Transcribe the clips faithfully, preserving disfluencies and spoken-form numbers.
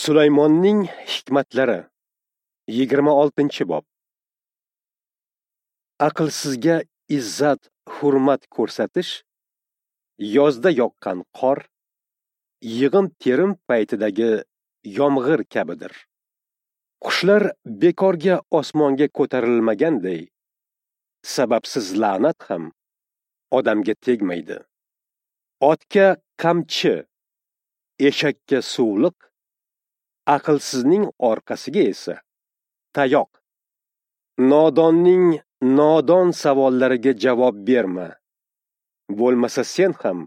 Sulaymonning hikmatlari, yigirma oltinchi bob. Aqlsizga izzat, hurmat ko'rsatish yozda yoqqan qor, yig'im terim paytidagi yomg'ir kabidir. Qushlar bekorga osmonga ko'tarilmaganday, sababsiz la'nat ham odamga tegmaydi. Otga qamchi, eshakka suvliq, aqlsizning orqasiga esa tayoq. Nodonning nodon savollariga javob berma. Bo'lmasa sen ham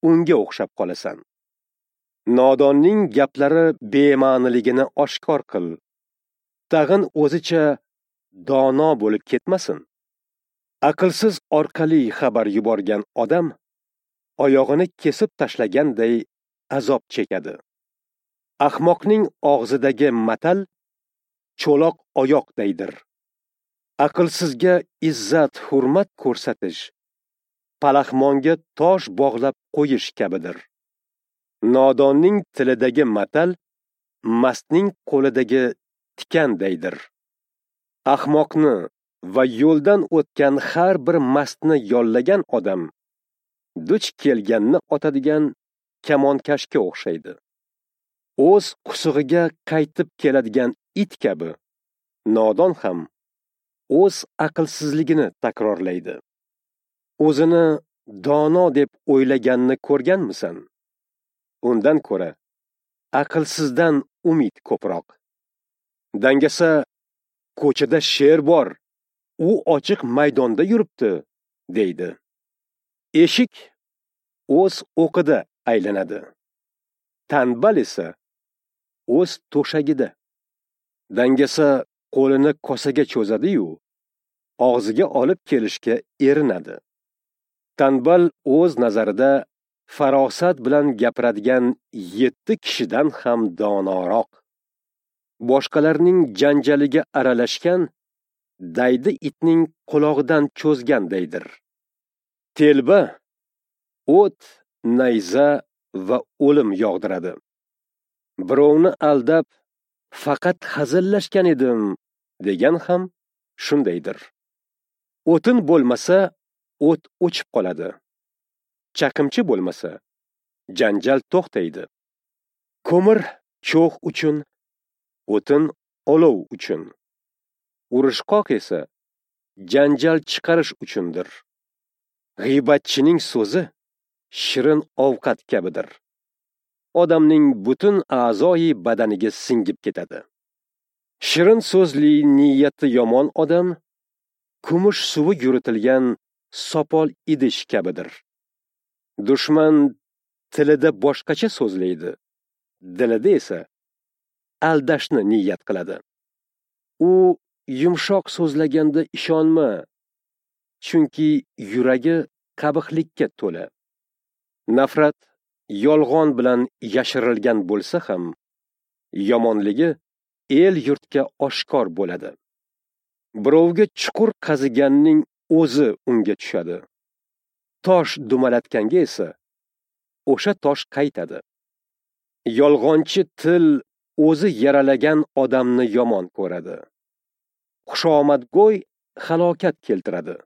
unga o'xshab qolasan. Nodonning gaplari bema'niligini oshkor qil. Tag'in o'zicha dono bo'lib ketmasin. Aqlsiz orqali xabar yuborgan odam oyog'ini kesib tashlaganday azob chekadi. Ahmoqning og'zidagi matal cho'loq oyoqdaydir. Aqlsizga izzat, hurmat ko'rsatish palaxmonga tosh bog'lab qo'yish kabidir. Nodonning tilidagi matal mastning qo'lidagi tikandaydir. Ahmoqni va yo'ldan o'tgan har bir mastni yollagan odam duch kelganni otadigan kamonkashga o'xshaydi. O'z qusug'iga qaytib keladigan it kabi nodon ham o'z aqlsizligini takrorlaydi. O'zini dono deb o'ylaganni ko'rganmisan? Undan ko'ra aqlsizdan umid ko'proq. Dangasa ko'chada sher bor, u ochiq maydonda yuribdi, deydi. Eshik o'z o'qida aylanadi. Tanbal esa o'z to'shagida. Dangasa qo'lini kosaga cho'zadi-yu, og'ziga olib kelishga erinadi. Tanbal o'z nazarida farosat bilan gapiradigan yetti kishidan ham donoroq. Boshqalarning janjaliga aralashgan daydi itning qulog'idan cho'zgandaydir. Telba o't, nayza va o'lim yog'diradi. Birovni aldab faqat hazillashgan edim degan ham shundaydir. O'tin bo'lmasa o't o'chib qoladi. Chaqimchi bo'lmasa janjal to'xtaydi. Ko'mir cho'g' uchun, o'tin olov uchun. Urushqoq esa janjal chiqarish uchundir. G'iybatchining so'zi shirin ovqat kabidir. Odamning butun a'zoyi badaniga singib ketadi. Shirin so'zli niyati yomon odam kumush suvi yuritilgan sopol idish kabidir. Dushman tilida boshqacha so'zlaydi, dilida esa aldashni niyat qiladi. U yumshoq so'zlaganda ishonma, chunki yuragi qabihlikka to'la. Nafrat yolg'on bilan yashirilgan bo'lsa ham, yomonligi el yurtga oshkor bo'ladi. Birovga chuqur qaziganning o'zi unga tushadi. Tosh dumalatganga esa o'sha tosh qaytadi. Yolg'onchi til o'zi yaralagan odamni yomon ko'radi. Xushomadgo'y halokat keltiradi.